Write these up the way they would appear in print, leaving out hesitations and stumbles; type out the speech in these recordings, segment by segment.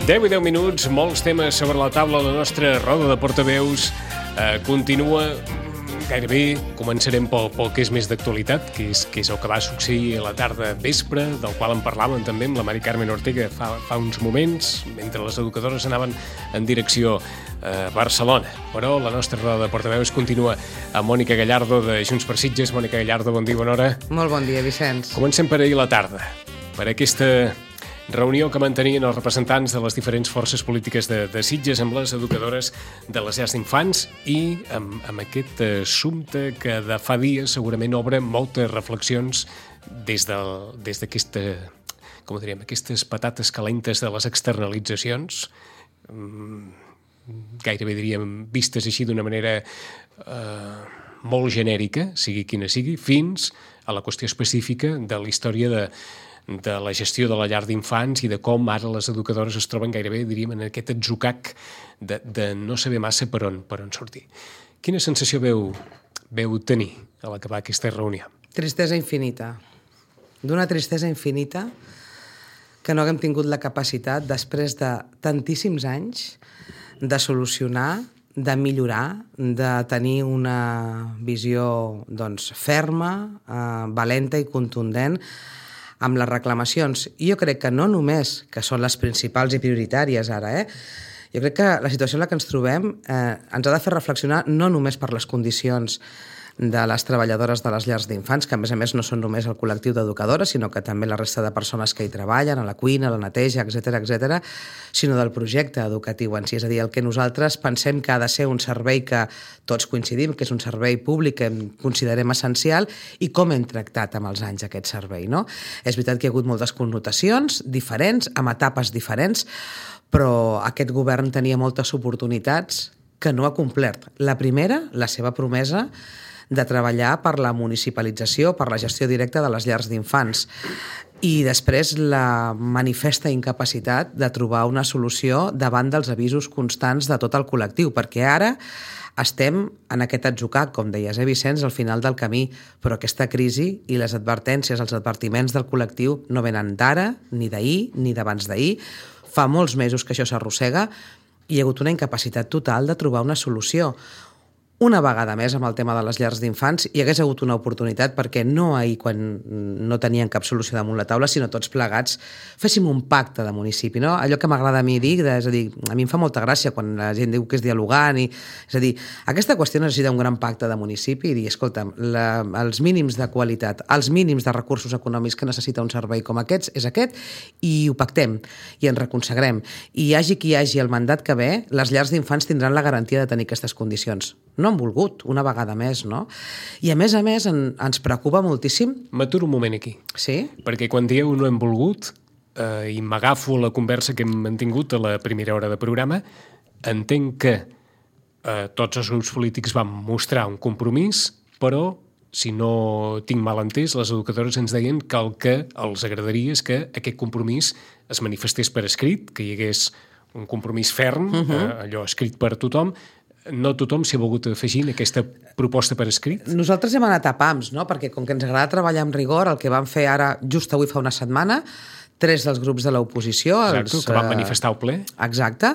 10 i 10 minuts, molts temes sobre la taula. La nostra roda de portaveus continua. Gairebé començarem pel que és més d'actualitat, que és el que va succeir a la tarda vespre, del qual en parlàvem també amb la Mari Carmen Ortega fa uns moments, mentre les educadores anaven en direcció a Barcelona. Però la nostra roda de portaveus continua amb Mònica Gallardo de Junts per Sitges. Mònica Gallardo, bon dia, bona hora. Molt bon dia, Vicenç. Comencem per ahir la tarda, per aquesta reunió que mantenien els representants de les diferents forces polítiques de Sitges amb les educadores de les llars d'infants i amb aquest assumpte que de fa dies segurament obre moltes reflexions des d'aquesta, com diríem, aquestes patates calentes de les externalitzacions, gairebé diríem vistes així d'una manera molt genèrica, sigui quina sigui, fins a la qüestió específica de la història de la gestió de la llar d'infants i de com ara les educadores es troben gairebé, diríem, en aquest atzucac de no saber massa per on sortir. Quina sensació veu tenir a l'acabar aquesta reunió? Tristesa infinita. D'una tristesa infinita que no haguem tingut la capacitat, després de tantíssims anys, de solucionar, de millorar, de tenir una visió ferma, valenta i contundent amb les reclamacions. I jo crec que no només, que són les principals i prioritàries ara, jo crec que la situació en la que ens trobem ens ha de fer reflexionar no només per les condicions de les treballadores de les llars d'infants, que a més no són només el col·lectiu d'educadores, sinó que també la resta de persones que hi treballen, a la cuina, a la neteja, etc., sinó del projecte educatiu en si. És a dir, el que nosaltres pensem que ha de ser un servei que tots coincidim, que és un servei públic que considerem essencial, i com hem tractat amb els anys aquest servei, no? És veritat que hi ha hagut moltes connotacions diferents, amb etapes diferents, però aquest govern tenia moltes oportunitats que no ha complert. La primera, la seva promesa de treballar per la municipalització, per la gestió directa de les llars d'infants. I després la manifesta incapacitat de trobar una solució davant dels avisos constants de tot el col·lectiu, perquè ara estem en aquest atzucac, com deies, Vicenç, al final del camí, però aquesta crisi i les advertències, els advertiments del col·lectiu no venen d'ara, ni d'ahir, ni d'abans d'ahir. Fa molts mesos que això s'arrossega i hi ha hagut una incapacitat total de trobar una solució. Una vegada més amb el tema de les llars d'infants hi hagués hagut una oportunitat perquè no ahir, quan no tenien cap solució damunt la taula, sinó tots plegats féssim un pacte de municipi, no? Allò que m'agrada a mi dir, és a dir, a mi em fa molta gràcia quan la gent diu que és dialogant, és a dir, aquesta qüestió necessita un gran pacte de municipi i dir, escolta'm, els mínims de qualitat, els mínims de recursos econòmics que necessita un servei com aquests és aquest, i ho pactem i ens reconsagrem. I hi hagi qui hi hagi el mandat que ve, les llars d'infants tindran la garantia de tenir aquestes condicions. No han volgut, una vegada més, no? I a més ens preocupa moltíssim. M'aturo un moment aquí. Sí? Perquè quan dieu no hem volgut, i m'agafo la conversa que hem mantingut a la primera hora de programa, entenc que tots els grups polítics van mostrar un compromís, però, si no tinc mal entès, les educadores ens deien que el que els agradaria és que aquest compromís es manifestés per escrit, que hi hagués un compromís ferm, allò escrit per tothom. No tothom s'hi ha volgut afegir en aquesta proposta per escrit? Nosaltres hem anat a pams, no? Perquè com que ens agrada treballar amb rigor, el que vam fer ara, just avui fa una setmana, 3 dels grups de l'oposició... Exacte, que van manifestar al ple. Exacte.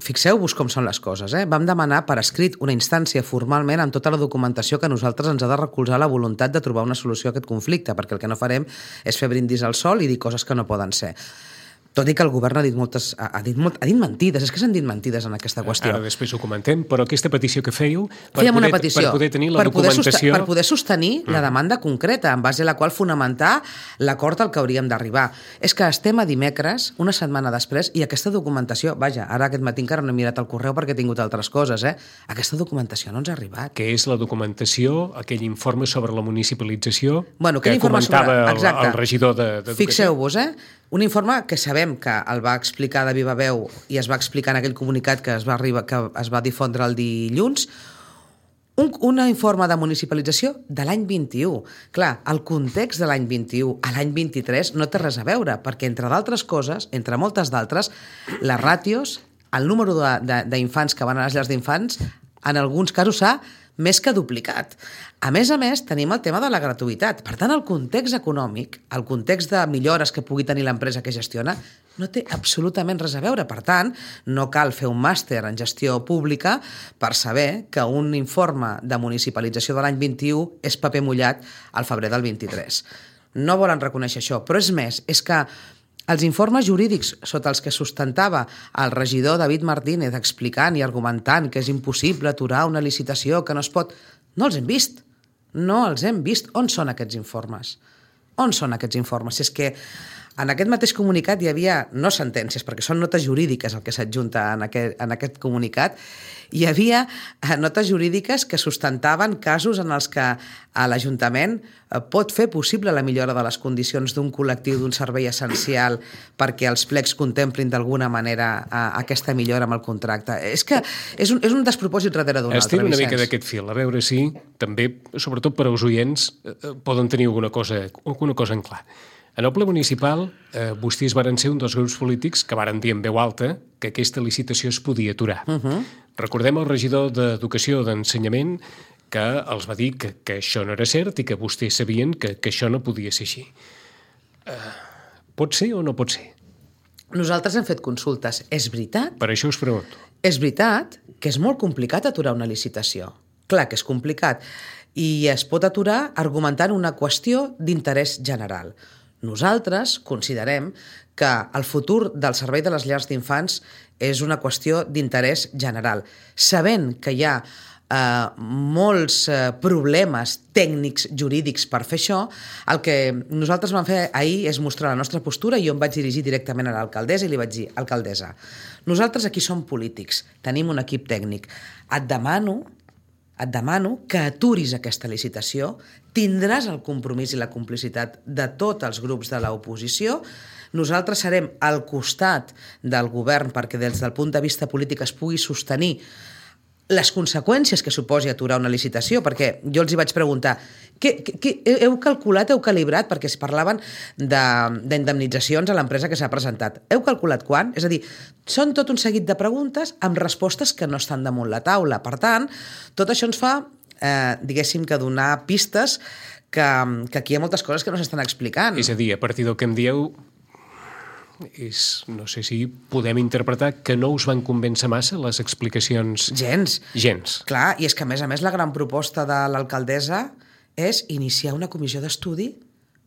Fixeu-vos com són les coses. Vam demanar per escrit una instància formalment amb tota la documentació que a nosaltres ens ha de recolzar la voluntat de trobar una solució a aquest conflicte, perquè el que no farem és fer brindis al sol i dir coses que no poden ser. Tot i que el govern ha dit mentides, és que s'han dit mentides en aquesta qüestió. Ara després ho comentem, però aquesta petició que fèieu per poder tenir la documentació... Per poder sostenir la demanda concreta, en base a la qual fonamentar l'acord al que hauríem d'arribar. És que estem a dimecres, una setmana després, i aquesta documentació, vaja, ara aquest matí encara no he mirat el correu perquè he tingut altres coses, aquesta documentació no ens ha arribat. Què és la documentació, aquell informe sobre la municipalització que comentava el regidor d'Educació? Fixeu-vos, un informe que sabem que el va explicar de viva veu i es va explicar en aquell comunicat que es va difondre el dilluns, un informe de municipalització de l'any 21. Clar, el context de l'any 21 a l'any 23 no té res a veure, perquè entre d'altres coses, entre moltes d'altres, les ràtios, el número d'infants que van a les llars d'infants, en alguns casos s'ha més que duplicat. A més, tenim el tema de la gratuïtat. Per tant, el context econòmic, el context de millores que pugui tenir l'empresa que gestiona, no té absolutament res a veure. Per tant, no cal fer un màster en gestió pública per saber que un informe de municipalització de l'any 21 és paper mullat al febrer del 23. No volen reconèixer això, però és més, és que els informes jurídics sota els que sustentava el regidor David Martínez explicant i argumentant que és impossible aturar una licitació, que no es pot... No els hem vist. No els hem vist. On són aquests informes? On són aquests informes? Si és que en aquest mateix comunicat hi havia, no sentències, perquè són notes jurídiques el que s'adjunta en aquest comunicat, hi havia notes jurídiques que sustentaven casos en els que l'Ajuntament pot fer possible la millora de les condicions d'un col·lectiu, d'un servei essencial, perquè els plecs contemplin d'alguna manera aquesta millora amb el contracte. És que és un despropòsit darrere d'un altre, Estic una mica d'aquest fil, a veure si també, sobretot per als oients, poden tenir alguna cosa en clar. En el ple municipal, vostès varen ser un dels grups polítics que varen dir en veu alta que aquesta licitació es podia aturar. Recordem el regidor d'Educació d'Ensenyament que els va dir que això no era cert i que vostès sabien que això no podia ser així. Pot ser o no pot ser? Nosaltres hem fet consultes. És veritat? Per això us pregunto. És veritat que és molt complicat aturar una licitació. Clar que és complicat. I es pot aturar argumentant una qüestió d'interès general. Nosaltres considerem que el futur del servei de les llars d'infants és una qüestió d'interès general. Sabent que hi ha molts problemes tècnics, jurídics per fer això, el que nosaltres vam fer ahir és mostrar la nostra postura i jo em vaig dirigir directament a l'alcaldessa i li vaig dir: alcaldessa, nosaltres aquí som polítics, tenim un equip tècnic, et demano que aturis aquesta licitació, tindràs el compromís i la complicitat de tots els grups de l'oposició, nosaltres serem al costat del govern perquè des del punt de vista polític es pugui sostenir les conseqüències que suposi aturar una licitació, perquè jo els hi vaig preguntar heu calculat, heu calibrat, perquè es parlaven d'indemnitzacions a l'empresa que s'ha presentat. Heu calculat quan? És a dir, són tot un seguit de preguntes amb respostes que no estan damunt la taula. Per tant, tot això ens fa, diguéssim, que donar pistes que aquí hi ha moltes coses que no s'estan explicant. És a dir, a partir del que em dieu, no sé si podem interpretar que no us van convèncer massa les explicacions... Gens. Clar, i és que a més la gran proposta de l'alcaldessa és iniciar una comissió d'estudi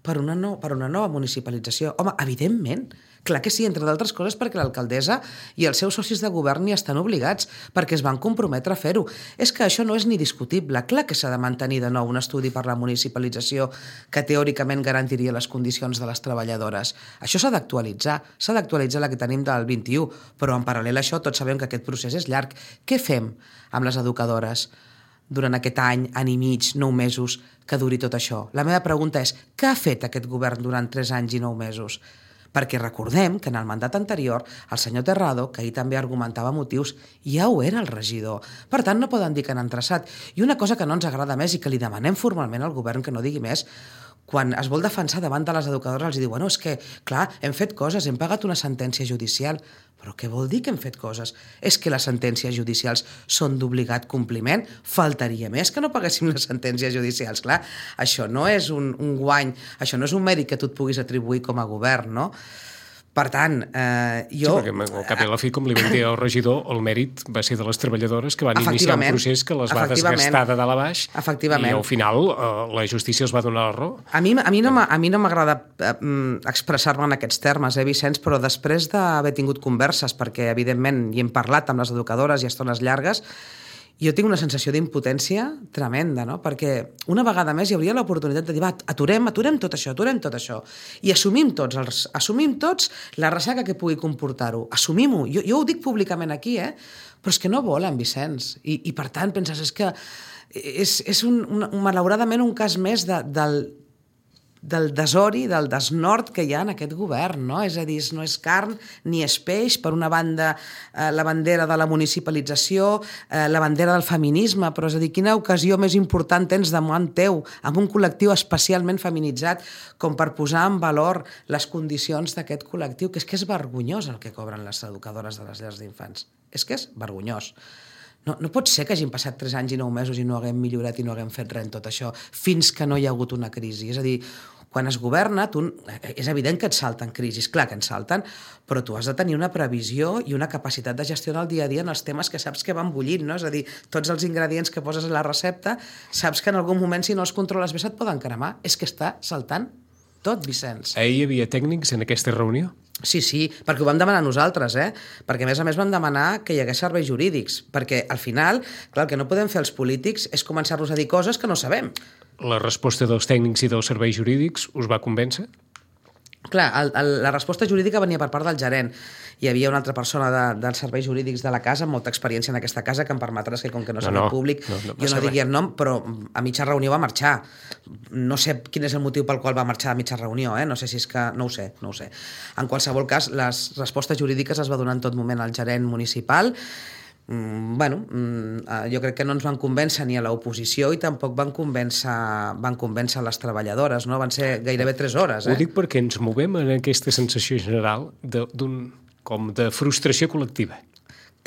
per una nova municipalització. Home, evidentment, clar que sí, entre d'altres coses perquè l'alcaldessa i els seus socis de govern hi estan obligats, perquè es van comprometre a fer-ho. És que això no és ni discutible. Clar que s'ha de mantenir de nou un estudi per la municipalització que teòricament garantiria les condicions de les treballadores. Això s'ha d'actualitzar la que tenim del 21, però en paral·lel a això tots sabem que aquest procés és llarg. Què fem amb les educadores durant aquest any i mig, 9 mesos, que duri tot això? La meva pregunta és: què ha fet aquest govern durant 3 anys i 9 mesos? Perquè recordem que en el mandat anterior el senyor Terrado, que ahir també argumentava motius, ja ho era el regidor. Per tant, no poden dir que han entrassat. I una cosa que no ens agrada més i que li demanem formalment al govern que no digui més, quan es vol defensar davant de les educadores els diu: bueno, és que, clar, hem fet coses, hem pagat una sentència judicial. Però què vol dir que hem fet coses? És que les sentències judicials són d'obligat compliment? Faltaria més que no paguéssim les sentències judicials. Clar, això no és un guany, això no és un mèrit que tu et puguis atribuir com a govern, no? Per tant, jo... Sí, perquè al cap i a la fi, com li vam dir al regidor, el mèrit va ser de les treballadores que van iniciar un procés que les va desgastar de dalt a baix i al final la justícia els va donar la raó. A mi no m'agrada expressar-me en aquests termes, Vicenç, però després d'haver tingut converses, perquè evidentment hi hem parlat amb les educadores i estones llargues, jo tinc una sensació d'impotència tremenda, no? Perquè una vegada més hi hauria l'oportunitat de dir: va, aturem tot això, i assumim tots la ressaca que pugui comportar-ho. Assumim-ho. Jo ho dic públicament aquí, però és que no volen, Vicenç. I per tant, penses, és que és malauradament un cas més del desori, del desnord que hi ha en aquest govern, no? És a dir, no és carn ni és peix. Per una banda, la bandera de la municipalització, la bandera del feminisme, però és a dir, quina ocasió més important tens davant teu amb un col·lectiu especialment feminitzat com per posar en valor les condicions d'aquest col·lectiu, que és vergonyós el que cobren les educadores de les llars d'infants. És que és vergonyós. No pot ser que hagin passat 3 anys i 9 mesos i no haguem millorat i no haguem fet res en tot això, fins que no hi ha hagut una crisi. És a dir, quan es governa, és evident que et salten crisis, clar que en salten, però tu has de tenir una previsió i una capacitat de gestionar el dia a dia en els temes que saps que van bullint, no? És a dir, tots els ingredients que poses a la recepta, saps que en algun moment, si no els controles bé, se't poden cremar. És que està saltant tot, Vicenç. Ahir hi havia tècnics en aquesta reunió? Sí, perquè ho vam demanar nosaltres, perquè a més vam demanar que hi hagués serveis jurídics, perquè al final, clar, el que no podem fer els polítics és començar-nos a dir coses que no sabem. La resposta dels tècnics i dels serveis jurídics us va convèncer? Clar, la resposta jurídica venia per part del gerent. Hi havia una altra persona dels serveis jurídics de la casa, amb molta experiència en aquesta casa, que em permetràs que, com que no serà públic, jo no digui el nom, però a mitja reunió va marxar. No sé quin és el motiu pel qual va marxar a mitja reunió, no sé si és que... No ho sé. En qualsevol cas, les respostes jurídiques es va donar en tot moment al gerent municipal. Jo crec que no ens van convèncer ni a l'oposició i tampoc van convèncer les treballadores, no? Van ser gairebé 3 hores. Ho dic perquè ens movem en aquesta sensació general com de frustració col·lectiva.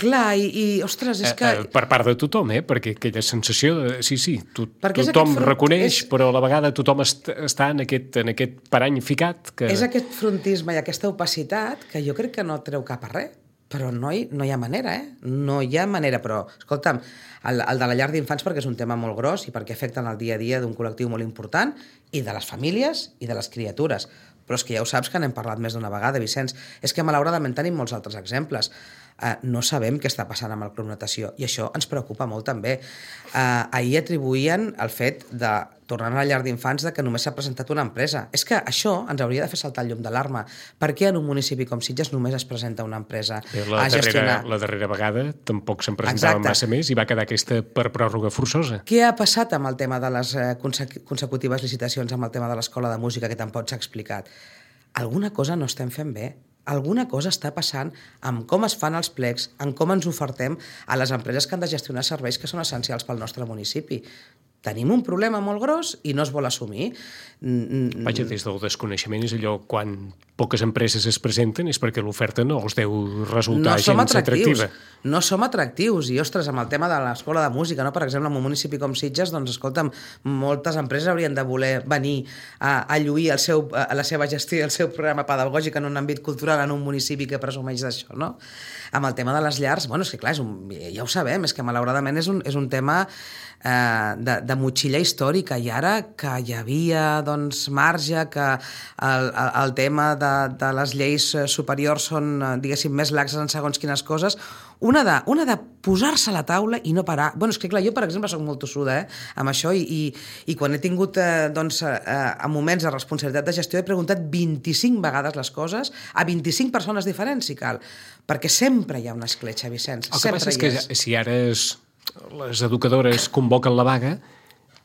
Clar, i ostres, és que... Per part de tothom, perquè aquella sensació de... Sí, tothom reconeix, però a la vegada tothom està en aquest parany ficat. És aquest frontisme i aquesta opacitat que jo crec que no treu cap a res. Però no hi ha manera, No hi ha manera, però, escolta'm, el de la llar d'infants perquè és un tema molt gros i perquè afecta en el dia a dia d'un col·lectiu molt important i de les famílies i de les criatures. Però és que ja ho saps que n'hem parlat més d'una vegada, Vicenç. És que malauradament tenim molts altres exemples. No sabem què està passant amb el Club Natació i això ens preocupa molt també. Ahir atribuïen el fet de, tornant a la llar d'infants, que només s'ha presentat una empresa. És que això ens hauria de fer saltar el llum d'alarma. Per què en un municipi com Sitges només es presenta una empresa a gestionar? La darrera vegada tampoc se'n presentava massa més i va quedar aquesta per pròrroga forçosa. Què ha passat amb el tema de les consecutives licitacions, amb el tema de l'escola de música, que tampoc s'ha explicat? Alguna cosa no estem fent bé. Alguna cosa està passant amb com es fan els plecs, amb com ens ofertem a les empreses que han de gestionar serveis que són essencials pel nostre municipi. Tenim un problema molt gros i no es vol assumir. Vaja, des del desconeixement és allò quan poques empreses es presenten és perquè l'oferta no els deu resultar gens atractiva. No som atractius. I, ostres, amb el tema de l'escola de música, no? Per exemple, en un municipi com Sitges, doncs, escolta'm, moltes empreses haurien de voler venir a lluir la seva gestió i el seu programa pedagògic en un àmbit cultural en un municipi que presumeix d'això, no? Amb el tema de les llars, és que clar, ja ho sabem, és que malauradament és un tema de motxilla històrica, i ara que hi havia marge, que el tema de les lleis superiors són, diguéssim, més laxes en segons quines coses, una de posar-se a la taula i no parar. És que clar, jo, per exemple, soc molt tossuda amb això i quan he tingut a moments de responsabilitat de gestió he preguntat 25 vegades les coses a 25 persones diferents, si cal, perquè sempre hi ha una escletxa, Vicenç. El que passa és que si ara les educadores convoquen la vaga,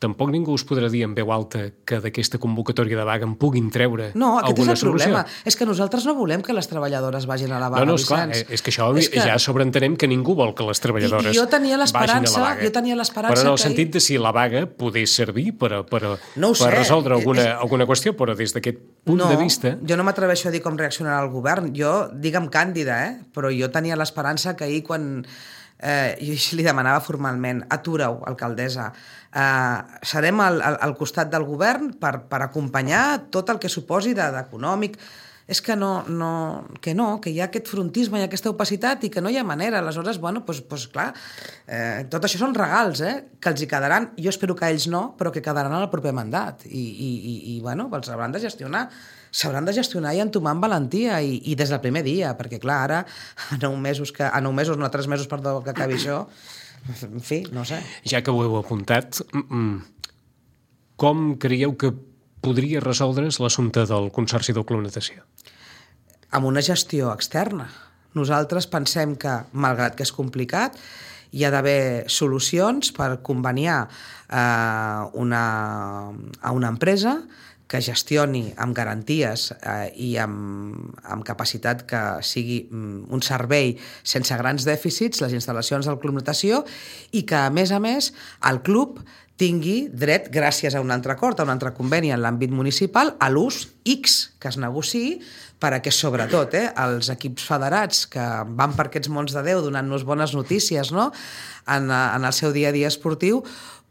tampoc ningú us podrà dir en veu alta que d'aquesta convocatòria de vaga en puguin treure alguna solució. No, aquest és el problema. És que nosaltres no volem que les treballadores vagin a la vaga, Vicenç. És que això ja sobreentenem que ningú vol que les treballadores vagin a la vaga. Jo tenia l'esperança però en el sentit de si la vaga podés servir per resoldre alguna qüestió, però des d'aquest punt de vista... Jo no m'atreveixo a dir com reaccionarà el govern. Jo, digue'm càndida, però jo tenia l'esperança que ahir quan... jo li demanava formalment: atura-ho, alcaldessa, serem al costat del govern per acompanyar tot el que suposi d'econòmic. És que que hi ha aquest frontisme i aquesta opacitat i que no hi ha manera. Aleshores, clar, tot això són regals, que els hi quedaran, jo espero que ells no, però que quedaran al proper mandat i els hauran de gestionar. S'hauran de gestionar i entomar amb valentia i des del primer dia, perquè clar, ara a 3 mesos, perdó, que acabi això, en fi, no sé. Ja que ho heu apuntat, com creieu que podria resoldre's l'assumpte del Consorci del Club Natació? Amb una gestió externa. Nosaltres pensem que, malgrat que és complicat, hi ha d'haver solucions per conveniar a una empresa que gestioni amb garanties i amb capacitat que sigui un servei sense grans dèficits les instal·lacions del Club Natació i que, a més, el club tingui dret, gràcies a un altre acord, a un altre conveni en l'àmbit municipal, a l'ús X que es negociï perquè, sobretot, els equips federats que van per aquests mons de Déu donant-nos bones notícies, no?, en el seu dia a dia esportiu,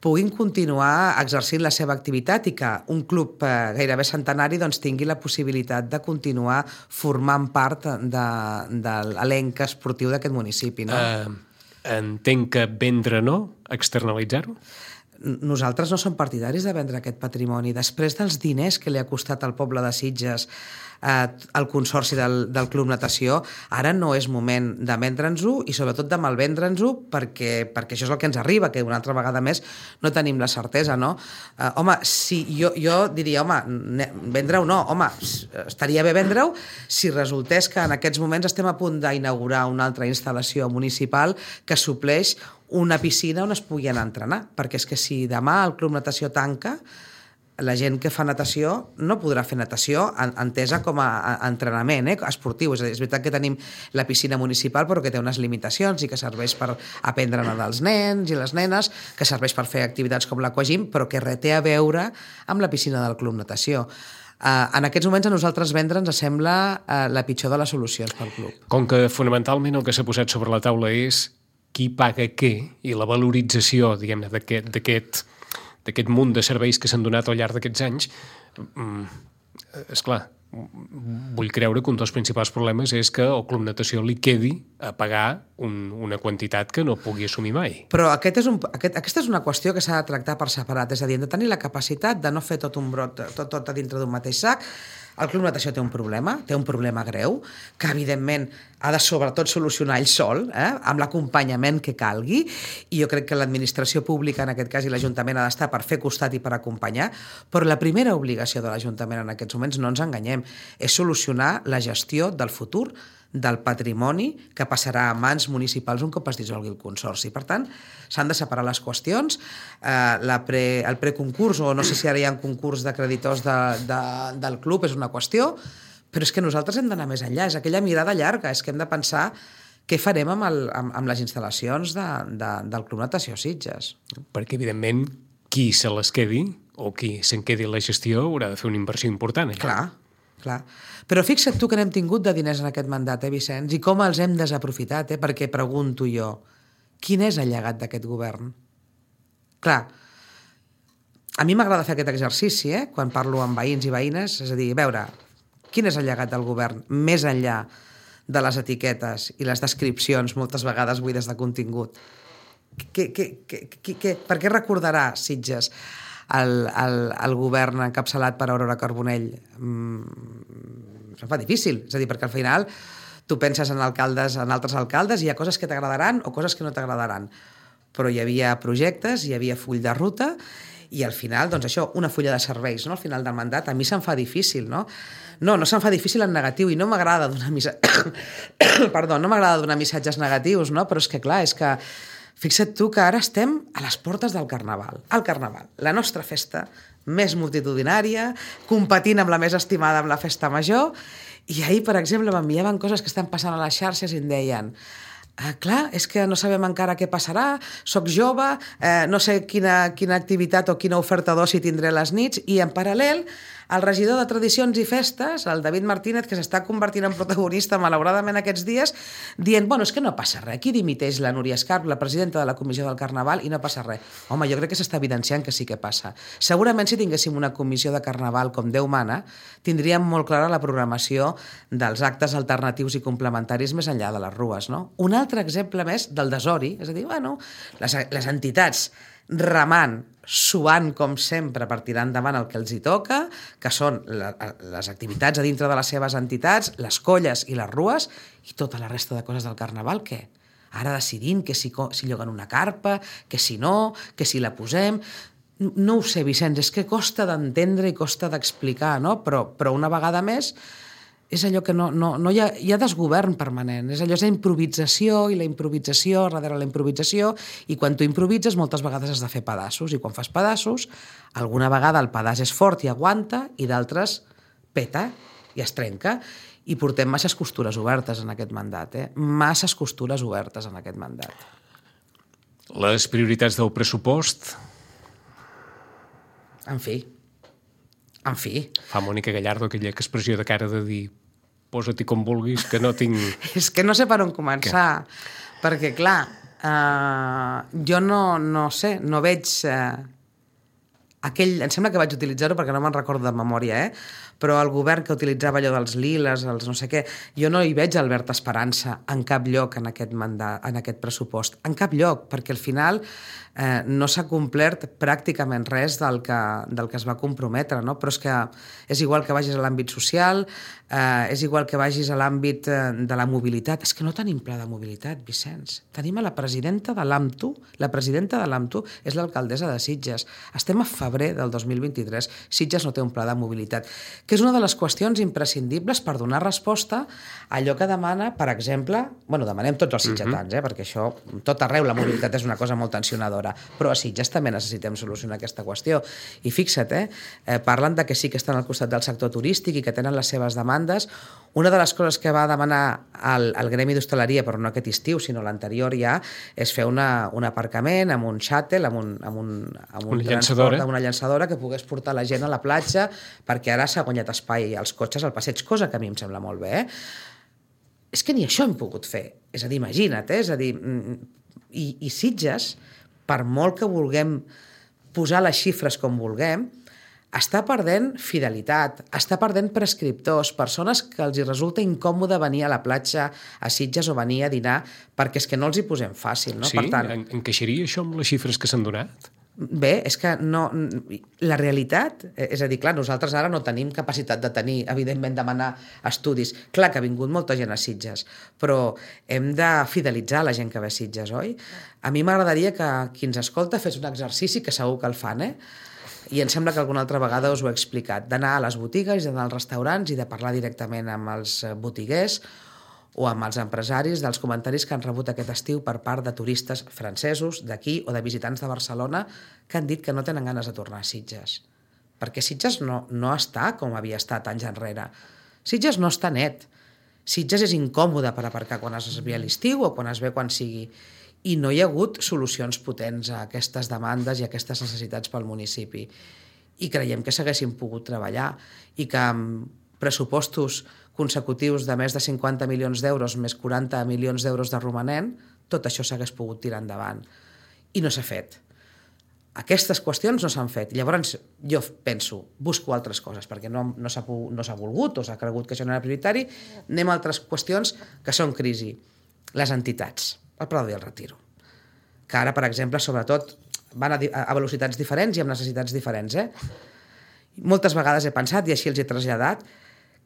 puguin continuar exercint la seva activitat i que un club gairebé centenari doncs, tingui la possibilitat de continuar formant part de l'elenc esportiu d'aquest municipi. No? Entenc que vendre no, externalitzar-ho? Nosaltres no som partidaris de vendre aquest patrimoni. Després dels diners que li ha costat al poble de Sitges el consorci del Club Natació, ara no és moment de vendre'ns-ho i sobretot de malvendre'ns-ho perquè això és el que ens arriba, que una altra vegada més no tenim la certesa, no? Home, si jo diria, vendre-ho no, estaria bé vendre-ho si resultés que en aquests moments estem a punt d'inaugurar una altra instal·lació municipal que supleix una piscina on es pugui anar a entrenar, perquè és que si demà el Club Natació tanca, la gent que fa natació no podrà fer natació entesa com a entrenament esportiu. És veritat que tenim la piscina municipal però que té unes limitacions i que serveix per aprendre a nedar els nens i les nenes, que serveix per fer activitats com l'aquagym, però que res té a veure amb la piscina del Club Natació. En aquests moments a nosaltres vendre ens sembla la pitjor de les solucions pel club. Com que fonamentalment el que s'ha posat sobre la taula és qui paga què i la valorització, diguem-ne, d'aquest munt de serveis que s'han donat al llarg d'aquests anys, esclar, vull creure que un dels principals problemes és que al Club Natació li quedi a pagar una quantitat que no pugui assumir mai. Però aquesta és una qüestió que s'ha de tractar per separat, és a dir, hem de tenir la capacitat de no fer tot un brot, tot a dintre d'un mateix sac. El Club Natació té un problema greu, que evidentment ha de sobretot solucionar ell sol, amb l'acompanyament que calgui, i jo crec que l'administració pública, en aquest cas, i l'Ajuntament ha d'estar per fer costat i per acompanyar, però la primera obligació de l'Ajuntament en aquests moments, no ens enganyem, és solucionar la gestió del futur del patrimoni que passarà a mans municipals un cop es dissolgui el consorci. Per tant, s'han de separar les qüestions. El preconcurs, o no sé si ara hi ha un concurs de creditors del club, és una qüestió, però és que nosaltres hem d'anar més enllà. És aquella mirada llarga, és que hem de pensar què farem amb les instal·lacions del Club Natació Sitges. Perquè, evidentment, qui se les quedi o qui se'n quedi la gestió haurà de fer una inversió important. Clar. Però fixa't tu que n'hem tingut de diners en aquest mandat, Vicenç, i com els hem desaprofitat, perquè pregunto jo, quin és el llegat d'aquest govern? Clar, a mi m'agrada fer aquest exercici, quan parlo amb veïns i veïnes, és a dir, veure, quin és el llegat del govern, més enllà de les etiquetes i les descripcions, moltes vegades buides de contingut. Per què recordarà Sitges el govern encapçalat per Aurora Carbonell? Se'n fa difícil, és a dir, perquè al final tu penses en altres alcaldes i hi ha coses que t'agradaran o coses que no t'agradaran, però hi havia projectes, hi havia full de ruta i al final, doncs això, una fulla de serveis, no? Al final del mandat, a mi se'm fa difícil, no? No se'm fa difícil en negatiu i no m'agrada donar missatges negatius, no? Però és que clar, és que fixa't tu que ara estem a les portes del Carnaval. El Carnaval, la nostra festa més multitudinària, competint amb la més estimada amb la festa major, i ahir, per exemple, m'enviaven coses que estan passant a les xarxes i em deien clar, és que no sabem encara què passarà, soc jove, no sé quina activitat o quina oferta d'oci tindré a les nits, i en paral·lel el regidor de Tradicions i Festes, el David Martínez, que s'està convertint en protagonista malauradament aquests dies, dient, és que no passa res, aquí dimiteix la Núria Escarp, la presidenta de la Comissió del Carnaval, i no passa res. Home, jo crec que s'està evidenciant que sí que passa. Segurament si tinguéssim una comissió de Carnaval com Déu mana, tindríem molt clara la programació dels actes alternatius i complementaris més enllà de les rues, no? Un altre exemple més del desori, és a dir, les entitats remant, suant com sempre per tirar endavant el que els hi toca, que són les activitats a dintre de les seves entitats, les colles i les rues, i tota la resta de coses del Carnaval, què? Ara decidint que si lloguen una carpa, que si no, que si la posem... No ho sé, Vicenç, és que costa d'entendre i costa d'explicar, no? Però una vegada més és allò que no hi ha desgovern permanent, és allò, és la improvisació i la improvisació darrere la improvisació, i quan tu improvises moltes vegades has de fer pedaços, i quan fas pedaços alguna vegada el pedaç és fort i aguanta i d'altres peta i es trenca, i portem masses costures obertes en aquest mandat, masses costures obertes en aquest mandat. Les prioritats del pressupost En fi. Fa Mònica Gallardo aquella expressió de cara de dir posa-t'hi com vulguis, que no tinc... És que no sé per on començar, perquè, clar, jo no sé, no veig... Em sembla que vaig utilitzar-ho perquè no me'n recordo de memòria, però el govern que utilitzava allò dels liles, els no sé què, jo no hi veig Albert Esperança en cap lloc en aquest pressupost, en cap lloc, perquè al final no s'ha complert pràcticament res del que es va comprometre, no? Però és que és igual que vagis a l'àmbit social, és igual que vagis a l'àmbit de la mobilitat. És que no tenim pla de mobilitat, Vicenç. Tenim a la presidenta de l'AMTU, la presidenta de l'AMTU és l'alcaldessa de Sitges. Estem a febrer del 2023, Sitges no té un pla de mobilitat, que és una de les qüestions imprescindibles per donar resposta a allò que demana, per exemple, demanem tots els sitgetans, perquè això, tot arreu la mobilitat és una cosa molt tensionadora, però a Sitges també necessitem solucionar aquesta qüestió. I fixa't, parlen de que sí que estan al costat del sector turístic i que tenen les seves demandes. Una de les coses que va demanar el gremi d'hostaleria, però no aquest estiu, sinó l'anterior ja, és fer un aparcament amb un shuttle, amb un transport, amb una llançadora que pogués portar la gent a la platja, perquè ara s'ha guanyat espai als cotxes al passeig, cosa que a mi em sembla molt bé. És que ni això hem pogut fer. És a dir, imagina't, és a dir... I Sitges, per molt que vulguem posar les xifres com vulguem, està perdent fidelitat, està perdent prescriptors, persones que els hi resulta incòmode venir a la platja a Sitges o venir a dinar perquè és que no els hi posem fàcil, no? Sí? Per tant, encaixaria això amb les xifres que s'han donat? Bé, és que no... La realitat, és a dir, clar, nosaltres ara no tenim capacitat de tenir, evidentment, demanar estudis. Clar que ha vingut molta gent a Sitges, però hem de fidelitzar la gent que ve a Sitges, oi? A mi m'agradaria que qui ens escolta fes un exercici, que segur que el fan, i em sembla que alguna altra vegada us ho he explicat, d'anar a les botigues, d'anar als restaurants i de parlar directament amb els botiguers o amb els empresaris dels comentaris que han rebut aquest estiu per part de turistes francesos d'aquí o de visitants de Barcelona que han dit que no tenen ganes de tornar a Sitges. Perquè Sitges no està com havia estat anys enrere. Sitges no està net. Sitges és incòmode per aparcar quan es ve a l'estiu o quan es ve quan sigui. I no hi ha hagut solucions potents a aquestes demandes i a aquestes necessitats pel municipi. I creiem que s'haguessin pogut treballar i que amb pressupostos consecutius de més de 50 milions d'euros més 40 milions d'euros de romanent, tot això s'hagués pogut tirar endavant. I no s'ha fet. Aquestes qüestions no s'han fet. Llavors, jo penso, busco altres coses, perquè no s'ha volgut o s'ha cregut que això no era prioritari, anem a altres qüestions que són crisi. Les entitats, el Prado i el Retiro, que ara, per exemple, sobretot, van a velocitats diferents i amb necessitats diferents. Moltes vegades he pensat, i així els he traslladat,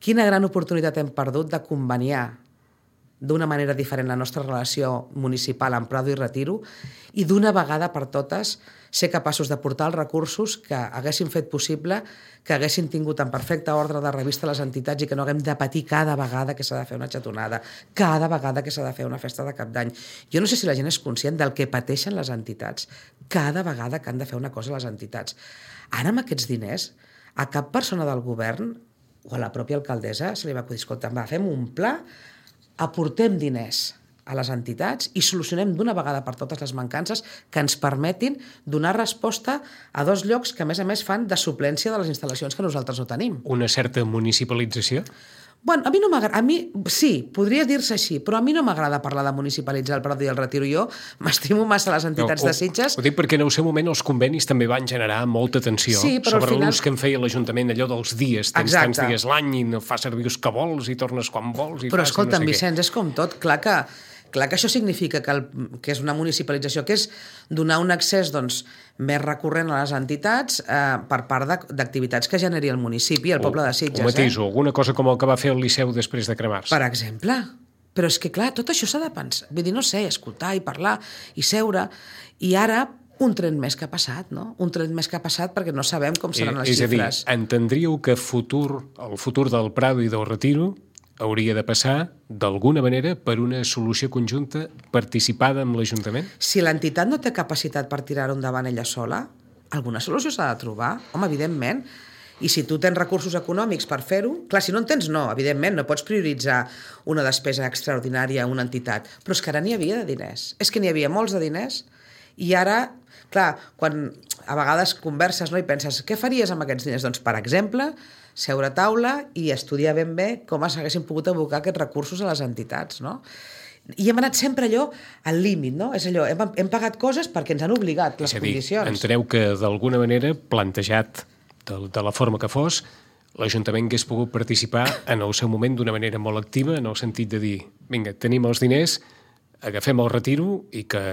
quina gran oportunitat hem perdut de conveniar d'una manera diferent la nostra relació municipal amb Prado i Retiro i d'una vegada per totes ser capaços de portar els recursos que haguessin fet possible que haguessin tingut en perfecte ordre de revista les entitats i que no haguem de patir cada vegada que s'ha de fer una xatonada, cada vegada que s'ha de fer una festa de cap d'any. Jo no sé si la gent és conscient del que pateixen les entitats cada vegada que han de fer una cosa les entitats. Ara amb aquests diners, a cap persona del govern o a la pròpia alcaldessa se li va acudir, escolta, fem un pla, aportem diners a les entitats i solucionem d'una vegada per totes les mancances que ens permetin donar resposta a dos llocs que, a més, fan de suplència de les instal·lacions que nosaltres no tenim. Una certa municipalització? Bueno, a mi no m'agrada, sí, podria dir-se així, però a mi no m'agrada parlar de municipalitzar el Prado i el Retiro. Jo m'estimo massa les entitats de Sitges. Ho dic perquè en el seu moment els convenis també van generar molta tensió sobre l'ús que en feia l'Ajuntament, allò dels dies, tens tants dies l'any i no fas servir els que vols i tornes quan vols. Però escolta'm, Vicenç, és com tot, clar que això significa que és una municipalització, que és donar un accés més recurrent a les entitats per part d'activitats que generi el municipi, el poble de Sitges. O matiso, alguna cosa com el que va fer el Liceu després de cremar-se. Per exemple. Però és que, clar, tot això s'ha de pensar. Vull dir, no sé, escoltar i parlar i seure. I ara, un tren més que ha passat, no? Un tren més que ha passat perquè no sabem com seran les xifres. És a dir, entendríeu que el futur del Prado i del Retiro hauria de passar, d'alguna manera, per una solució conjunta participada amb l'Ajuntament? Si l'entitat no té capacitat per tirar-ho endavant ella sola, alguna solució s'ha de trobar, home, evidentment. I si tu tens recursos econòmics per fer-ho, clar, si no en tens, no, evidentment, no pots prioritzar una despesa extraordinària a una entitat, però és que ara n'hi havia de diners. És que n'hi havia molts de diners i ara, clar, quan a vegades converses, no, i penses, què faries amb aquests diners? Doncs, per exemple, seure a taula i estudiar ben bé com s'haguessin pogut abocar aquests recursos a les entitats, no? I hem anat sempre allò al límit, no? És allò, hem pagat coses perquè ens han obligat les condicions. Enteneu que, d'alguna manera, plantejat de la forma que fos, l'Ajuntament hagués pogut participar en el seu moment d'una manera molt activa, en el sentit de dir, vinga, tenim els diners, agafem el retiro i que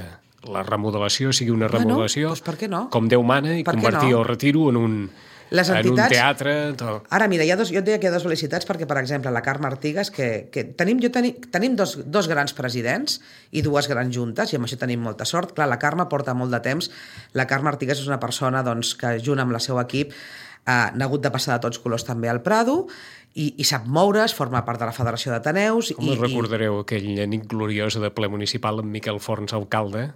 la remodelació sigui una remodelació doncs per què no? com Déu mana i convertir el retiro en un teatre... Ara, mira, jo et deia que hi ha dues felicitats perquè, per exemple, la Carme Artigas, que tenim dos grans presidents i dues grans juntes, i amb això tenim molta sort. Clar, la Carme porta molt de temps. La Carme Artigas és una persona doncs, que, junt amb el seu equip, n'ha hagut de passar de tots colors també al Prado i sap moure's, forma part de la Federació d'Ateneus. Com recordareu aquella nit gloriosa de ple municipal amb Miquel Forns alcalde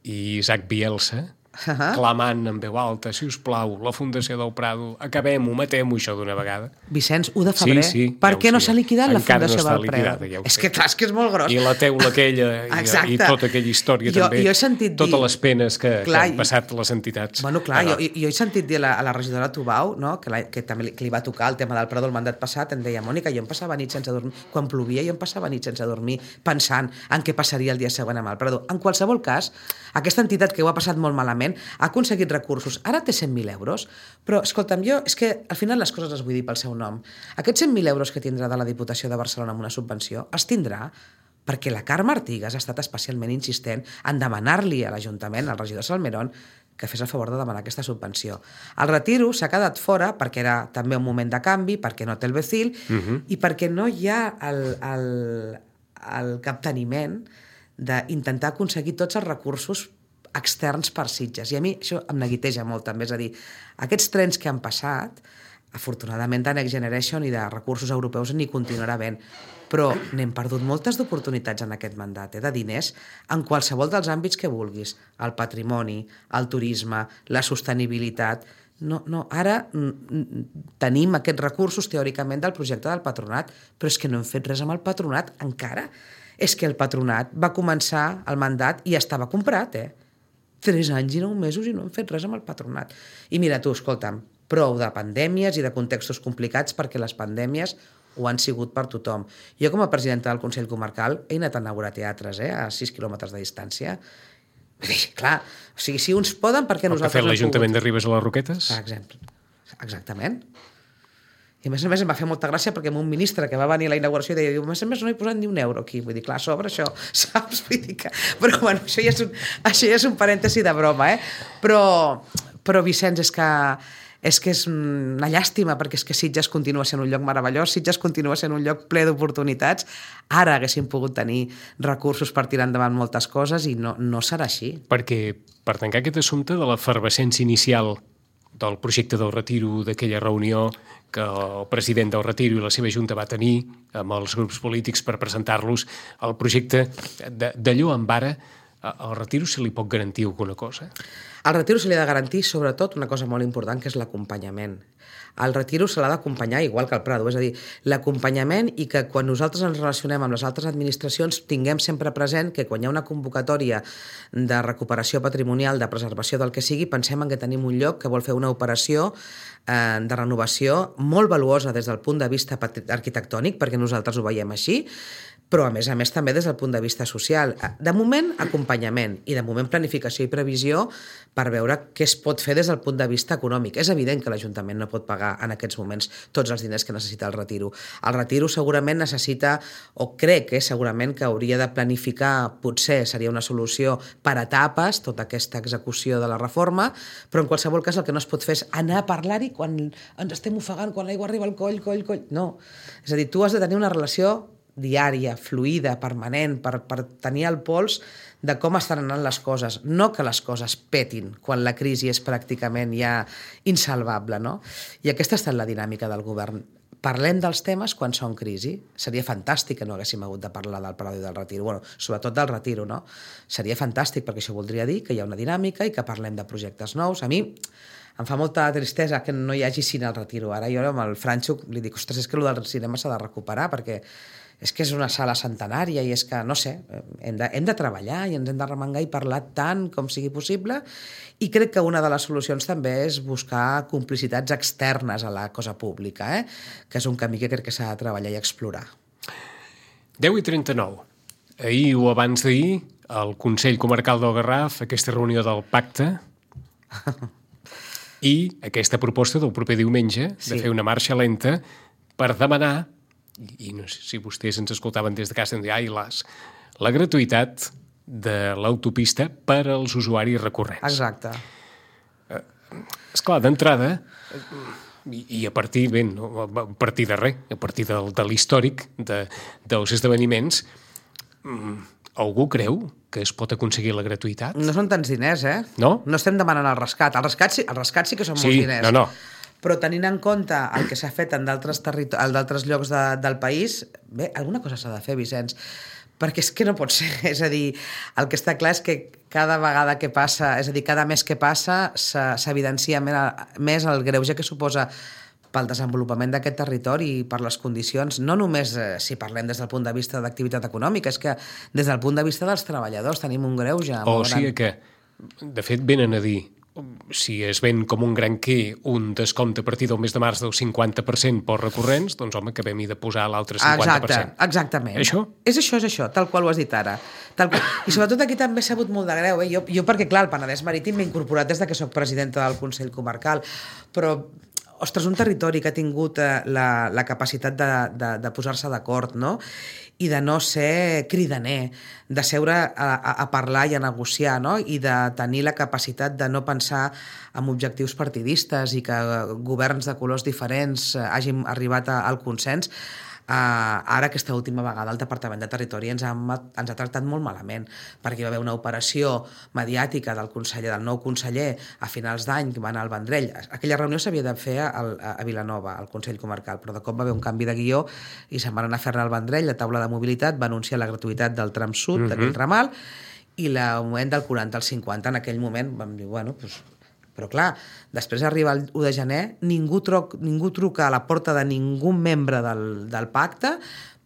i Isaac Bielsa, clamant en veu alta, si us plau, la Fundació del Prado, acabem-ho, matem-ho això d'una vegada. Vicenç, 1 de febrer. Sí, per què no s'ha liquidat la Fundació del Prado? Ja és que clar, és que és molt gros. I la teula aquella i tota aquella història també. Jo he sentit dir... Totes les penes que han passat les entitats. Bueno, clar, jo he sentit dir a la regidora Tubau, no, que també li va tocar el tema del Prado el mandat passat, em deia, Mònica, jo em passava nit sense dormir. Quan plovia jo em passava nit sense dormir pensant en què passaria el dia següent amb el Prado. En qualsevol cas, aquesta entitat que ho ha passat molt malament ha aconseguit recursos. Ara té 100.000 euros, però, escolta'm, jo és que al final les coses les vull dir pel seu nom. Aquests 100.000 euros que tindrà de la Diputació de Barcelona amb una subvenció els tindrà perquè la Carme Artigas ha estat especialment insistent en demanar-li a l'Ajuntament, al regidor Salmerón, que fes el favor de demanar aquesta subvenció. El retiro s'ha quedat fora perquè era també un moment de canvi, perquè no té el Becil i perquè no hi ha el capteniment d'intentar aconseguir tots els recursos externs per Sitges. I a mi això em neguiteja molt, també. És a dir, aquests trens que han passat, afortunadament de Next Generation i de recursos europeus n'hi continuarà havent, però n'hem perdut moltes d'oportunitats en aquest mandat, de diners, en qualsevol dels àmbits que vulguis. El patrimoni, el turisme, la sostenibilitat... No, ara tenim aquests recursos, teòricament, del projecte del patronat, però és que no hem fet res amb el patronat encara. És que el patronat va començar el mandat i estava comprat, 3 anys i 9 mesos i no hem fet res amb el patronat. I mira tu, escolta'm, prou de pandèmies i de contextos complicats perquè les pandèmies ho han sigut per tothom. Jo, com a presidenta del Consell Comarcal, he anat a inaugurar teatres, a 6 quilòmetres de distància. Clar, o sigui, si uns poden, per què nosaltres no hem pogut? El que ha fet l'Ajuntament de Ribes a les Roquetes? Per exemple. Exactament. I a més em va fer molta gràcia perquè un ministre que va venir a la inauguració deia, a més no he posat ni un euro aquí, vull dir, clar, sobre això, saps? Vull dir que... Però bueno, això ja és un parèntesi de broma, Però Vicenç, és que és una llàstima perquè és que Sitges continua sent un lloc meravellós, Sitges continua sent un lloc ple d'oportunitats, ara haguéssim pogut tenir recursos per tirar endavant moltes coses i no serà així. Perquè per tancar aquest assumpte de l'efervescència inicial del projecte del retiro, d'aquella reunió que el president del retiro i la seva junta va tenir amb els grups polítics per presentar-los el projecte d'allò en vara, al retiro se li pot garantir alguna cosa? Al retiro se li ha de garantir, sobretot, una cosa molt important, que és l'acompanyament. Al retiro se l'ha d'acompanyar igual que al Prado, és a dir, l'acompanyament i que quan nosaltres ens relacionem amb les altres administracions tinguem sempre present que quan hi ha una convocatòria de recuperació patrimonial, de preservació del que sigui, pensem en que tenim un lloc que vol fer una operació de renovació molt valuosa des del punt de vista arquitectònic, perquè nosaltres ho veiem així, però a més també des del punt de vista social. De moment, acompanyament, i de moment planificació i previsió per veure què es pot fer des del punt de vista econòmic. És evident que l'Ajuntament no pot pagar en aquests moments tots els diners que necessita el retiro. El retiro segurament necessita, o crec segurament que hauria de planificar, potser seria una solució per etapes, tota aquesta execució de la reforma, però en qualsevol cas el que no es pot fer és anar a parlar-hi quan ens estem ofegant, quan l'aigua arriba al coll. No. És a dir, tu has de tenir una relació diària, fluida, permanent, per tenir el pols de com estan anant les coses, no que les coses petin quan la crisi és pràcticament ja insalvable, no? I aquesta ha estat la dinàmica del govern. Parlem dels temes quan són crisi. Seria fantàstic que no haguéssim hagut de parlar del Prado i del retiro. Bueno, sobretot del retiro, no? Seria fantàstic perquè això voldria dir que hi ha una dinàmica i que parlem de projectes nous. A mi em fa molta tristesa que no hi hagi cine al retiro. Ara jo amb el Franxo li dic, ostres, és que el del cinema s'ha de recuperar perquè és que és una sala centenària i és que, no sé, hem de treballar i ens hem de remengar i parlar tant com sigui possible, i crec que una de les solucions també és buscar complicitats externes a la cosa pública, que és un camí que crec que s'ha de treballar i explorar. 10:39. Ahir o abans d'ahir, el Consell Comarcal del Garraf, aquesta reunió del pacte i aquesta proposta del proper diumenge de fer una marxa lenta per demanar, i no sé si vostès ens escoltaven des de casa, em deien, la gratuïtat de l'autopista per als usuaris recurrents. Exacte. Esclar, d'entrada, i a partir, a partir de res, a partir de l'històric dels esdeveniments, algú creu que es pot aconseguir la gratuïtat? No són tants diners, No? No estem demanant el rescat. El rescat sí que són molts diners. No. Però tenint en compte el que s'ha fet en d'altres llocs del país, bé, alguna cosa s'ha de fer, Vicenç, perquè és que no pot ser. És a dir, el que està clar és que cada vegada que passa, és a dir, cada mes que passa, s'evidencia més el greuge que suposa pel desenvolupament d'aquest territori i per les condicions, no només si parlem des del punt de vista d'activitat econòmica, és que des del punt de vista dels treballadors tenim un greuge. O sigui que, de fet, venen a dir, si es ven com un granquer un descompte a partir del mes de març del 50% per recurrents, doncs home, acabem-hi de posar l'altre 50%. Exactament. Això? És això, tal qual ho has dit ara. I sobretot aquí també s'ha sabut molt de greu. Jo perquè, clar, el Penedès Marítim m'he incorporat des que soc presidenta del Consell Comarcal, però ostres, un territori que ha tingut la capacitat de posar-se d'acord, no? I de no ser cridaner, de seure a parlar i a negociar, no? I de tenir la capacitat de no pensar en objectius partidistes i que governs de colors diferents hagin arribat al consens. Ara, aquesta última vegada, el Departament de Territori ens ha tractat molt malament, perquè hi va haver una operació mediàtica del nou conseller a finals d'any, que va anar al Vendrell. Aquella reunió s'havia de fer a Vilanova, al Consell Comarcal, però de cop va haver un canvi de guió i se'n van anar a fer-ne al Vendrell. La taula de mobilitat va anunciar la gratuïtat del tram sud d'aquell ramal i l'augment del 40 al 50. En aquell moment vam dir, bueno, doncs... Però clar, després arriba el 1 de gener, ningú truca a la porta de ningú membre del pacte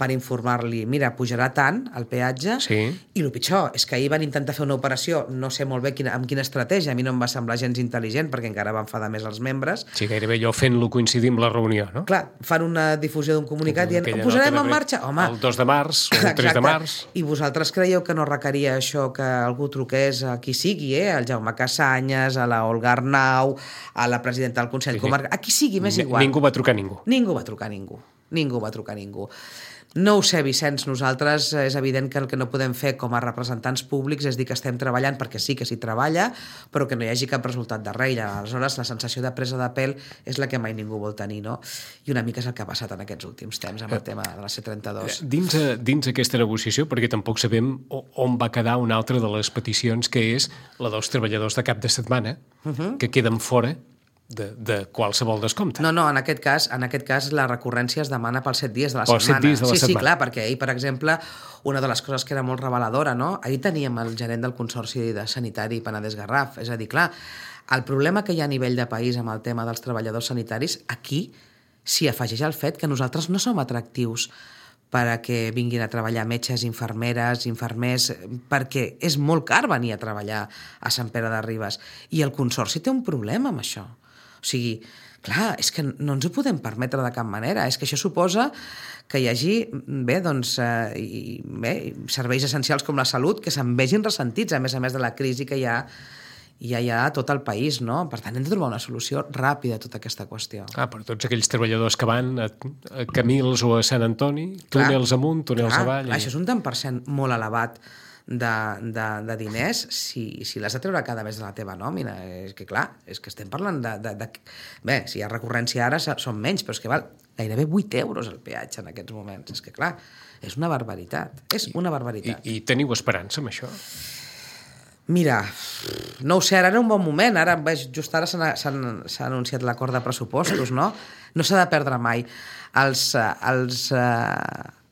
per informar-li, mira, pujarà tant el peatge, i el pitjor és que ahir van intentar fer una operació, no sé molt bé amb quina estratègia, a mi no em va semblar gens intel·ligent, perquè encara va enfadar més els membres. Sí, gairebé allò fent-lo coincidir amb la reunió, no? Clar, fan una difusió d'un comunicat dient, ho posarem en marxa? Home, el 2 de març o el 3 de març. I vosaltres creieu que no requeria això que algú truqués a qui sigui, al Jaume Cassanyes, a la Olga Arnau, a la presidenta del Consell Comarcal, a qui sigui, m'és igual. Ningú va trucar a ningú. Ningú va trucar a ningú. No ho sé, Vicenç, nosaltres és evident que el que no podem fer com a representants públics és dir que estem treballant, perquè sí que s'hi treballa, però que no hi hagi cap resultat darrere. Aleshores, la sensació de presa de pèl és la que mai ningú vol tenir, no? I una mica és el que ha passat en aquests últims temps amb el tema de la C32. Dins aquesta negociació, perquè tampoc sabem on va quedar una altra de les peticions, que és la dels treballadors de cap de setmana, que queden fora de qualsevol descompte. No, en aquest cas la recurrència es demana pels 7 dies de la setmana. 7 dies de la setmana. Sí, clar, perquè ahir, per exemple, una de les coses que era molt reveladora, no? Ahir teníem el gerent del Consorci de Sanitari Penedès-Garraf. És a dir, clar, el problema que hi ha a nivell de país amb el tema dels treballadors sanitaris, aquí s'hi afegeix el fet que nosaltres no som atractius per a que vinguin a treballar metges, infermeres, infermers, perquè és molt car venir a treballar a Sant Pere de Ribes. I el Consorci té un problema amb això. O sigui, clar, és que no ens ho podem permetre de cap manera. És que això suposa que hi hagi serveis essencials com la salut que se'n vegin ressentits, a més de la crisi que hi ha a tot el país, no? Per tant, hem de trobar una solució ràpida a tota aquesta qüestió. Per tots aquells treballadors que van a Camils o a Sant Antoni, túnels amunt, túnels avall... Això és un tant per cent molt elevat de diners si l'has de treure cada mes de la teva nòmina. És que clar, és que estem parlant Bé, si hi ha recurrència ara són menys, però és que val gairebé 8 euros el peatge en aquests moments. És que clar, és una barbaritat. I teniu esperança amb això? Mira, no ho sé, ara era un bon moment, just ara s'ha anunciat l'acord de pressupostos, no? No s'ha de perdre mai.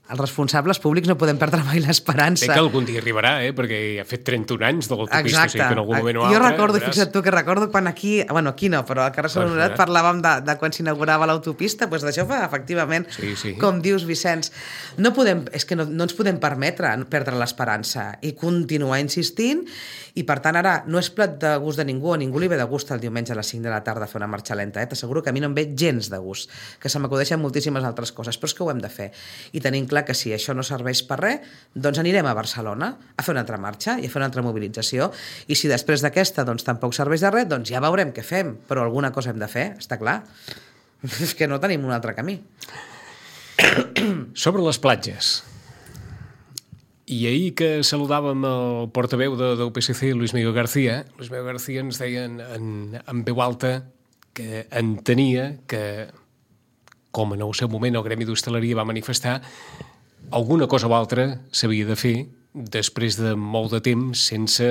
els responsables públics no podem perdre mai l'esperança. Sé que algun dia arribarà, perquè ha fet 31 anys de l'autopista, o sigui que en algun moment o altre... Jo recordo, fixa't tu, que recordo quan aquí no, però al carrer Sant Honorat parlàvem de quan s'inaugurava l'autopista, doncs d'això fa, efectivament, com dius, Vicenç. És que no ens podem permetre perdre l'esperança i continuar insistint, i per tant ara no és plat de gust de ningú, a ningú li ve de gust el diumenge a les 5 de la tarda fer una marxa lenta, t'asseguro que a mi no em ve gens de gust, que se m'acudeixen moltíssimes altres coses, però és que ho hem de fer. I tenim clar que si això no serveix per res, doncs anirem a Barcelona a fer una altra marxa i a fer una altra mobilització, i si després d'aquesta doncs tampoc serveix de res, doncs ja veurem què fem, però alguna cosa hem de fer, està clar. És que no tenim un altre camí. Sobre les platges, i ahir que saludàvem el portaveu del PSC, Luis Miguel García ens deia en veu alta que entenia que, com en el seu moment el Gremi d'Hostaleria va manifestar, alguna cosa o altra s'havia de fer després de molt de temps sense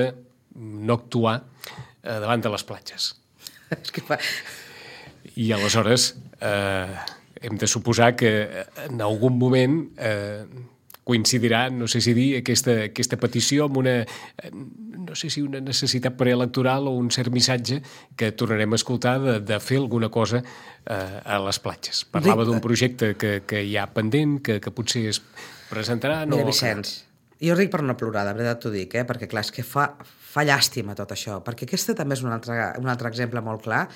no actuar davant de les platges. I aleshores hem de suposar que en algun moment coincidirà, no sé si dir, aquesta petició amb una, no sé si una necessitat preelectoral o un cert missatge que tornarem a escoltar de fer alguna cosa a les platges. Parlava d'un projecte que hi ha pendent, que potser es presentarà... Mira, Vicenç, jo ric per no plorar, de veritat t'ho dic, perquè clar, és que fa llàstima tot això, perquè aquest també és un altre exemple molt clar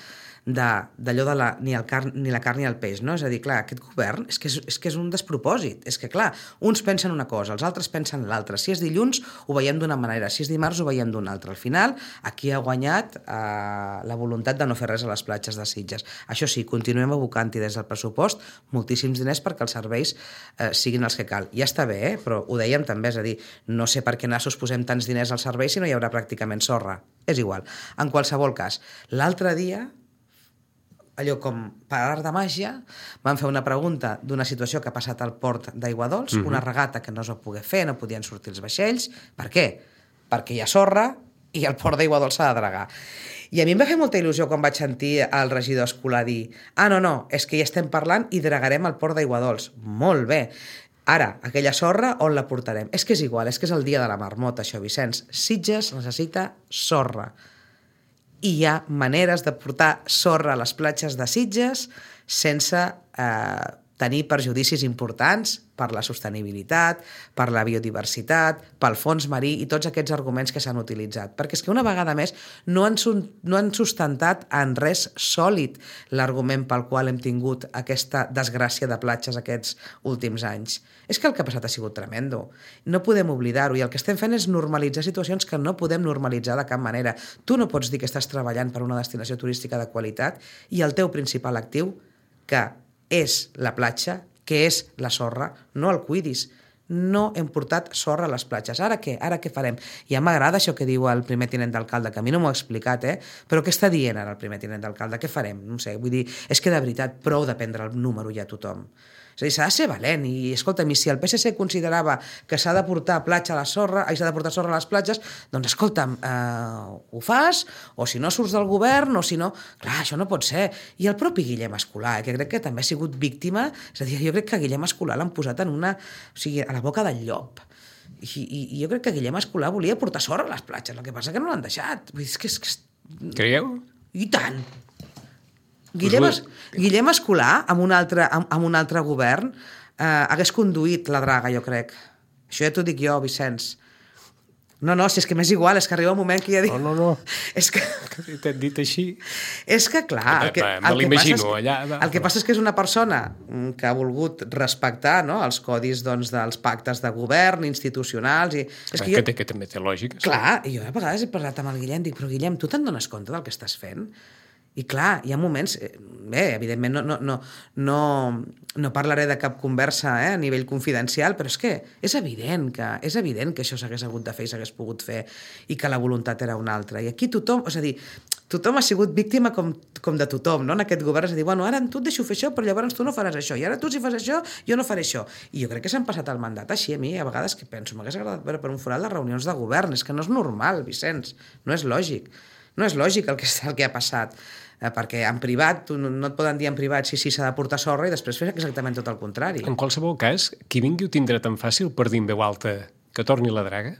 d'allò de ni la carn ni el peix, no? És a dir, clar, aquest govern és que és un despropòsit, és que clar, uns pensen una cosa, els altres pensen l'altra, si és dilluns ho veiem d'una manera, si és dimarts ho veiem d'una altra, al final aquí ha guanyat la voluntat de no fer res a les platges de Sitges. Això sí, continuem abocant-hi des del pressupost moltíssims diners perquè els serveis siguin els que cal. Ja està bé, però ho dèiem també, és a dir, no sé per què nassos posem tants diners al servei si no hi haurà pràcticament sorra, és igual. En qualsevol cas, l'altre dia allò com per art de màgia, van fer una pregunta d'una situació que ha passat al port d'Aiguadols, una regata que no es va poder fer, no podien sortir els vaixells. Per què? Perquè hi ha sorra i el port d'Aiguadols s'ha de dragar. I a mi em va fer molta il·lusió quan vaig sentir el regidor escolar dir no, és que ja estem parlant i dragarem al port d'Aiguadols. Molt bé. Ara, aquella sorra, on la portarem? És que és igual, és que és el dia de la marmota, això, Vicenç. Sitges necessita sorra. I hi ha maneres de portar sorra a les platges de Sitges sense tenir perjudicis importants per la sostenibilitat, per la biodiversitat, pel fons marí i tots aquests arguments que s'han utilitzat. Perquè és que una vegada més no han sustentat en res sòlid l'argument pel qual hem tingut aquesta desgràcia de platges aquests últims anys. És que el que ha passat ha sigut tremendo. No podem oblidar-ho i el que estem fent és normalitzar situacions que no podem normalitzar de cap manera. Tu no pots dir que estàs treballant per una destinació turística de qualitat i el teu principal actiu, que és la platja, que és la sorra, no el cuidis. No hem portat sorra a les platges. Ara què? Ara què farem? Ja m'agrada això que diu el primer tinent d'alcalde, que a mi no m'ho ha explicat, però què està dient ara el primer tinent d'alcalde? Què farem? No sé, vull dir, és que de veritat prou de prendre el número ja a tothom. És a dir, s'ha de ser valent i, escolta'm, si el PSC considerava que s'ha de portar platja a la sorra, s'ha de portar sorra a les platges, doncs escolta'm, ho fas, o si no surts del govern, o si no... Clar, això no pot ser. I el propi Guillem Escolà, que crec que també ha sigut víctima, és a dir, jo crec que Guillem Escolà l'han posat en una... O sigui, a la boca del llop. I jo crec que Guillem Escolà volia portar sorra a les platges, el que passa que no l'han deixat. Vull dir, és que... Creieu? I tant! Guillem Escolà, amb un altre govern, hagués conduït la draga, jo crec. Això ja t'ho dic jo, Vicenç. No, si és que m'és igual, és que arriba un moment que ja dic... No. És que... T'he dit així... És que, clar... El que passa és que és una persona que ha volgut respectar, no?, els codis dels pactes de govern, institucionals... Que també té lògica. Clar, i jo a vegades he parlat amb el Guillem, dic, però Guillem, tu te'n dones compte del que estàs fent? I clar, hi ha moments... Bé, evidentment no parlaré de cap conversa a nivell confidencial, però és que és evident que això s'hagués hagut de fer i s'hagués pogut fer i que la voluntat era una altra. I aquí tothom, és a dir, tothom ha sigut víctima com de tothom, no? En aquest govern és a dir, bueno, ara tu et deixo fer això, però llavors tu no faràs això, i ara tu si fas això, jo no faré això. I jo crec que s'han passat el mandat així. A mi, a vegades que penso, m'hagués agradat veure per un forat les reunions de govern. És que no és normal, Vicenç, no és lògic. No és lògic el que ha passat. perquè en privat, no et poden dir en privat si s'ha de portar sorra i després fer exactament tot el contrari. En qualsevol cas, qui vingui ho tindrà tan fàcil per dir en veu alta que torni la draga?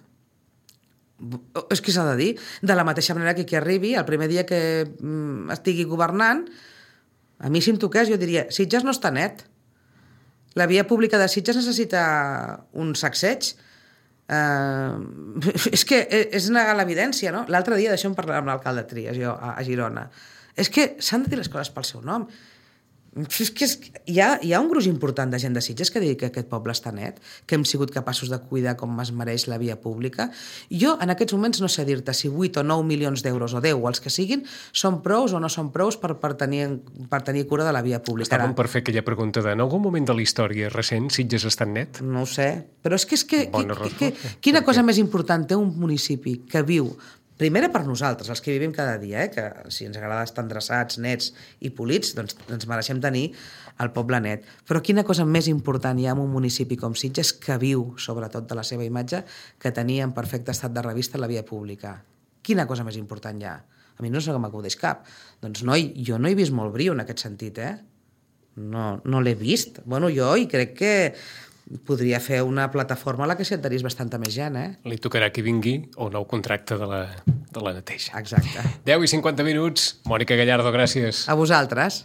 És que s'ha de dir. De la mateixa manera que qui arribi, el primer dia que estigui governant, a mi si em toqués jo diria, Sitges no està net. La via pública de Sitges necessita un sacseig. És que és negar l'evidència, no? L'altre dia d'això em parlava amb l'alcalde Trias, jo, a Girona. És que s'han de dir les coses pel seu nom. És que hi ha un gruix important de gent de Sitges que digui que aquest poble està net, que hem sigut capaços de cuidar com es mereix la via pública. Jo en aquests moments no sé dir-te si 8 o 9 milions d'euros o 10 o els que siguin són prous o no són prous per tenir cura de la via pública. Està bon per fer aquella pregunta de en algun moment de la història recent Sitges està net? No ho sé, però és que quina cosa més important té un municipi que viu primera per nosaltres, els que vivim cada dia, que si ens agrada estar endreçats, nets i polits, doncs ens mereixem tenir el poble net. Però quina cosa més important hi ha en un municipi com Sitges que viu, sobretot de la seva imatge, que tenia en perfecte estat de revista la via pública? Quina cosa més important hi ha? A mi no sé com m'acudeix cap. Doncs jo no he vist molt brio en aquest sentit, No l'he vist. Bueno, jo i crec que podria fer una plataforma a la que s'hi adherís bastanta més gent, Li tocarà qui vingui o nou contracte de la neteja. Exacte. 10:50. Mònica Gallardo, gràcies. A vosaltres.